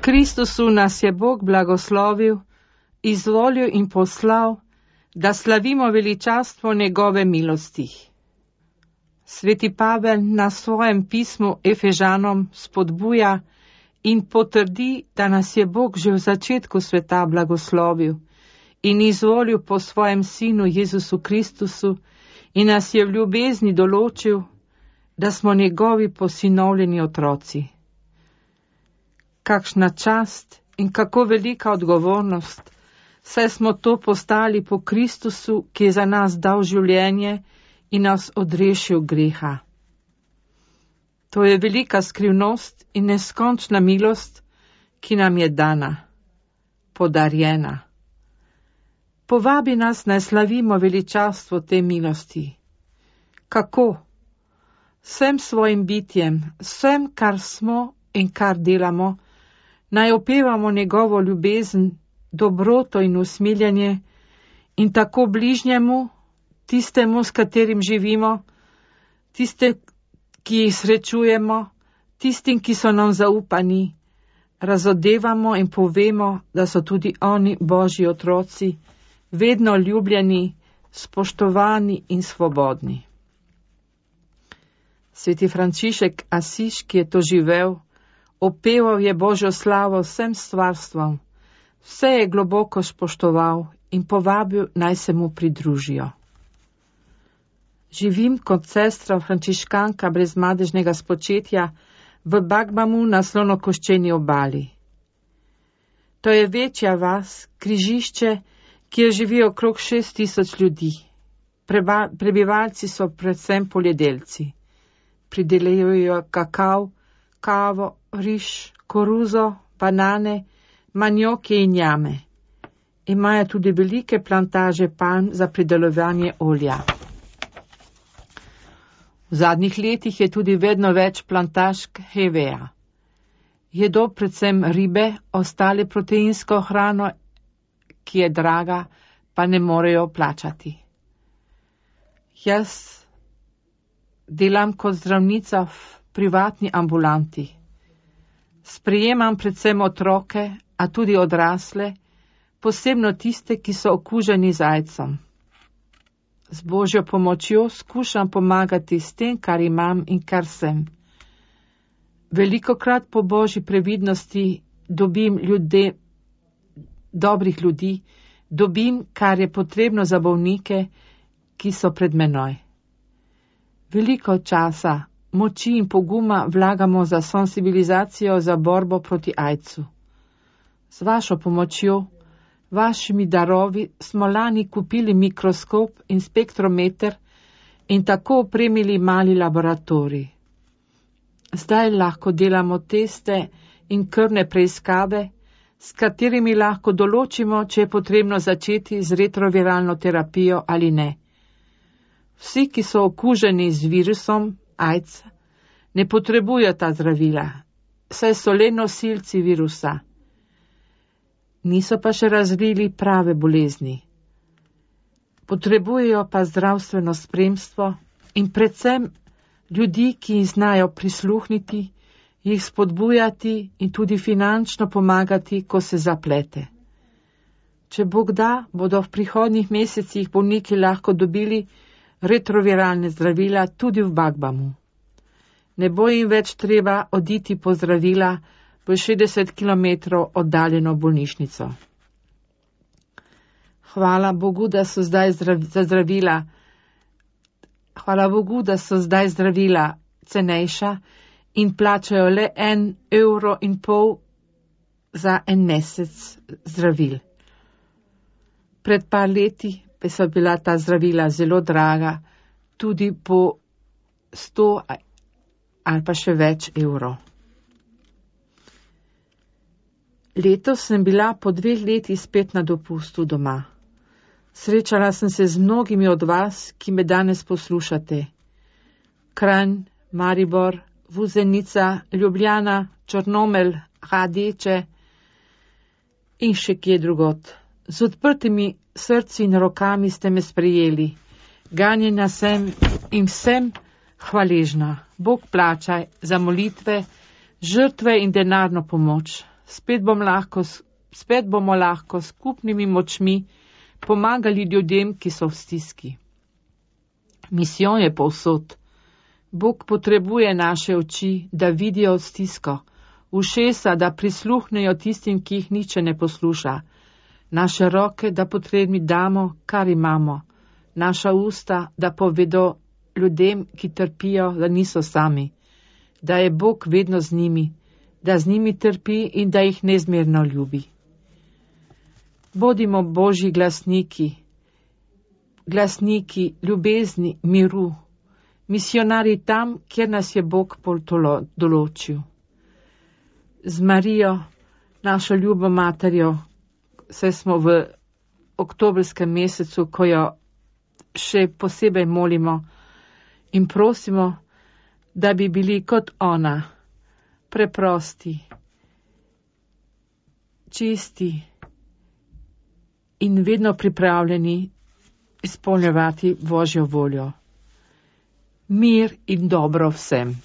Kristusu nas je Bog blagoslovil, izvolil in poslal, da slavimo veličastvo njegove milosti. Sveti Pavel na svojem pismu Efežanom spodbuja in potrdi, da nas je Bog že v začetku sveta blagoslovil in izvolil po svojem sinu Jezusu Kristusu in nas je v ljubezni določil, da smo njegovi posinovljeni otroci. Kakšna čast in kako velika odgovornost, saj smo to postali po Kristusu, ki je za nas dal življenje in nas odrešil greha. To je velika skrivnost in neskončna milost, ki nam je dana, podarjena. Povabi nas, naj slavimo veličastvo te milosti. Kako? Vsem svojim bitjem, vsem, kar smo in kar delamo, naj opevamo njegovo ljubezen, dobroto in usmiljenje in tako bližnjemu, tistemu, s katerim živimo, tiste, ki jih srečujemo, tistim, ki so nam zaupani, razodevamo in povemo, da so tudi oni Božji otroci, vedno ljubljeni, spoštovani in svobodni. Sveti Frančišek Asiš, ki je to živel, opeval je Božjo slavo vsem stvarstvom, vse je globoko spoštoval in povabil, naj se mu pridružijo. Živim kot sestra frančiškanka brez madežnega spočetja v Bagbamu na Slonokoščeni obali. To je večja vas, križišče, kjer živi okrog 6000 ljudi. Prebivalci so predvsem poljedelci. Pridelajo kakav, kavo, riž, koruzo, banane, manjoke in jame. Imajo tudi velike plantaže palm za pridelovanje olja. V zadnjih letih je tudi vedno več plantažk heveja. Jedo predvsem ribe, ostale proteinsko hrano, ki je draga, pa ne morejo plačati. Jaz delam kot zdravnica v privatni ambulanti. Sprejemam predvsem otroke, a tudi odrasle, posebno tiste, ki so okuženi z aidsom. Z Božjo pomočjo skušam pomagati s tem, kar imam in kar sem. Velikokrat po Božji previdnosti dobim dobrih ljudi, dobim, kar je potrebno za bolnike, ki so pred menoj. Veliko časa, moči in poguma vlagamo za sensibilizacijo za borbo proti aidsu. Z vašo pomočjo, vašimi darovi smo lani kupili mikroskop in spektrometer in tako opremili mali laboratorij. Zdaj lahko delamo teste in krvne preiskave, s katerimi lahko določimo, če je potrebno začeti z retroviralno terapijo ali ne. Vsi, ki so okuženi z virusom AIDS, ne potrebujejo ta zdravila, saj so le nosilci virusa. Niso pa še razvili prave bolezni. Potrebujejo pa zdravstveno spremstvo in predvsem ljudi, ki jim znajo prisluhniti, jih spodbujati in tudi finančno pomagati, ko se zaplete. Če Bog da, bodo v prihodnjih mesecih bolniki lahko dobili retroviralne zdravila tudi v Bagbamu. Ne bo jim več treba oditi po zdravila v 60 km oddaljeno bolnišnico. Hvala Bogu, da so zdaj zdravila cenejša in plačajo le 1,5 € za en mesec zdravil. Pred par leti pa so bila ta zdravila zelo draga, tudi po 100 ali pa še več evrov. Letos sem bila po 2 leti spet na dopustu doma. Srečala sem se z mnogimi od vas, ki me danes poslušate. Kranj, Maribor, Vuzenica, Ljubljana, Črnomelj, Radeče in še kje drugot. Z odprtimi srci in rokami ste me sprejeli. Ganjena sem in vsem hvaležna. Bog plačaj za molitve, žrtve in denarno pomoč. spet bomo lahko s skupnimi močmi pomagali ljudem, ki so v stiski. Misijon je povsod. Bog potrebuje naše oči, da vidijo stisko, ušesa, da prisluhnejo tistim, ki jih niče ne posluša, naše roke, da potrebni damo, kar imamo, naša usta, da povedo ljudem, ki trpijo, da niso sami, da je Bog vedno z njimi, da z njimi trpi in da jih neizmerno ljubi. Bodimo Božji glasniki ljubezni, miru, misionarji tam, kjer nas je Bog določil. Z Marijo, našo ljubo materjo, saj smo v oktobrskem mesecu, ko jo še posebej molimo in prosimo, da bi bili kot ona, preprosti, čisti in vedno pripravljeni izpolnjevati Božjo voljo. Mir in dobro vsem.